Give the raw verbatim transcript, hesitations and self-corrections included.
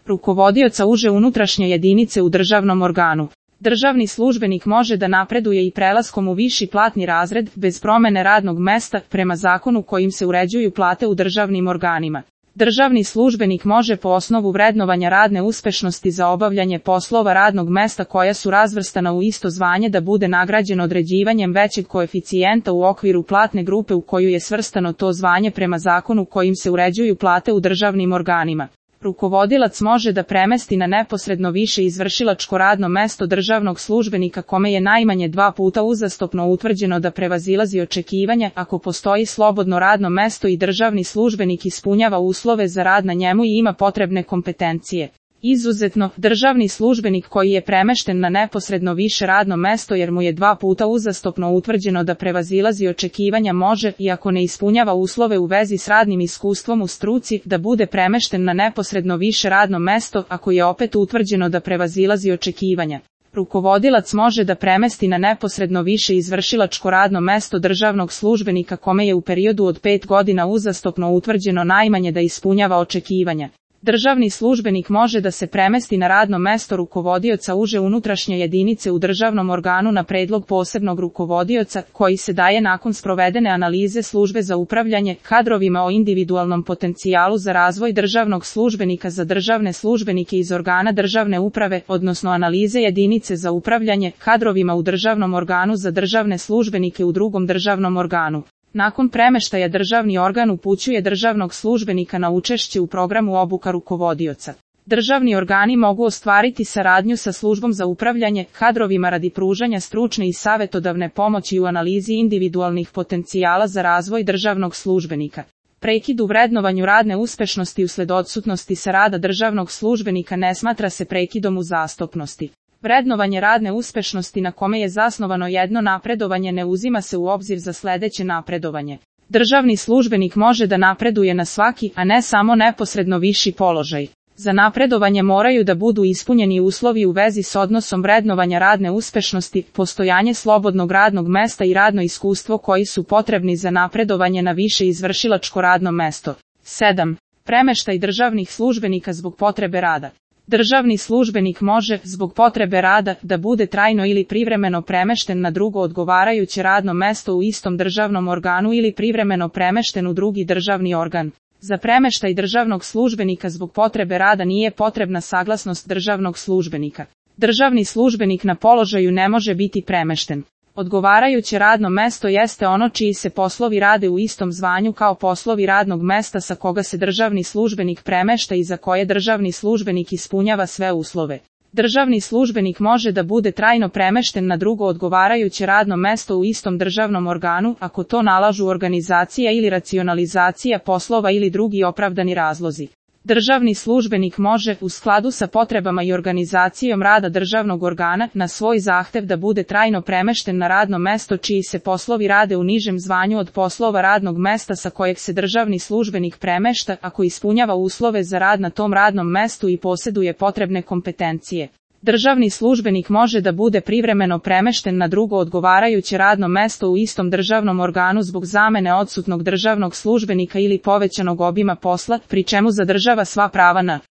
rukovodioca uže unutrašnje jedinice u državnom organu. Državni službenik može da napreduje i prelaskom u viši platni razred, bez promene radnog mesta, prema zakonu kojim se uređuju plate u državnim organima. Državni službenik može po osnovu vrednovanja radne uspešnosti za obavljanje poslova radnog mesta koja su razvrstana u isto zvanje da bude nagrađen određivanjem većeg koeficijenta u okviru platne grupe u koju je svrstano to zvanje prema zakonu kojim se uređuju plate u državnim organima. Rukovodilac može da premesti na neposredno više izvršilačko radno mesto državnog službenika kome je najmanje dva puta uzastopno utvrđeno da prevazilazi očekivanja ako postoji slobodno radno mesto i državni službenik ispunjava uslove za rad na njemu i ima potrebne kompetencije. Izuzetno, državni službenik koji je premešten na neposredno više radno mesto jer mu je dva puta uzastopno utvrđeno da prevazilazi očekivanja može, iako ne ispunjava uslove u vezi s radnim iskustvom u struci, da bude premešten na neposredno više radno mesto ako je opet utvrđeno da prevazilazi očekivanja. Rukovodilac može da premesti na neposredno više izvršilačko radno mesto državnog službenika kome je u periodu od pet godina uzastopno utvrđeno najmanje da ispunjava očekivanja. Državni službenik može da se premesti na radno mesto rukovodioca uže unutrašnje jedinice u državnom organu na predlog posebnog rukovodioca, koji se daje nakon sprovedene analize službe za upravljanje kadrovima o individualnom potencijalu za razvoj državnog službenika za državne službenike iz organa državne uprave, odnosno analize jedinice za upravljanje kadrovima u državnom organu za državne službenike u drugom državnom organu. Nakon premeštaja državni organ upućuje državnog službenika na učešće u programu obuka rukovodioca. Državni organi mogu ostvariti saradnju sa službom za upravljanje kadrovima radi pružanja stručne i savetodavne pomoći u analizi individualnih potencijala za razvoj državnog službenika. Prekid u vrednovanju radne uspešnosti usled odsutnosti sa rada državnog službenika ne smatra se prekidom uzastopnosti. Vrednovanje radne uspešnosti na kome je zasnovano jedno napredovanje ne uzima se u obzir za sledeće napredovanje. Državni službenik može da napreduje na svaki, a ne samo neposredno viši položaj. Za napredovanje moraju da budu ispunjeni uslovi u vezi s odnosom vrednovanja radne uspešnosti, postojanje slobodnog radnog mesta i radno iskustvo koji su potrebni za napredovanje na više izvršilačko radno mesto. sedam. Premeštaj državnih službenika zbog potrebe rada. Državni službenik može, zbog potrebe rada, da bude trajno ili privremeno premešten na drugo odgovarajuće radno mesto u istom državnom organu ili privremeno premešten u drugi državni organ. Za premeštaj državnog službenika zbog potrebe rada nije potrebna saglasnost državnog službenika. Državni službenik na položaju ne može biti premešten. Odgovarajuće radno mesto jeste ono čiji se poslovi rade u istom zvanju kao poslovi radnog mesta sa koga se državni službenik premešta i za koje državni službenik ispunjava sve uslove. Državni službenik može da bude trajno premešten na drugo odgovarajuće radno mesto u istom državnom organu ako to nalažu organizacija ili racionalizacija poslova ili drugi opravdani razlozi. Državni službenik može, u skladu sa potrebama i organizacijom rada državnog organa, na svoj zahtev da bude trajno premešten na radno mesto čiji se poslovi rade u nižem zvanju od poslova radnog mesta sa kojeg se državni službenik premešta, ako ispunjava uslove za rad na tom radnom mestu i posjeduje potrebne kompetencije. Državni službenik može da bude privremeno premešten na drugo odgovarajuće radno mesto u istom državnom organu zbog zamene odsutnog državnog službenika ili povećanog obima posla, pri čemu zadržava sva prava na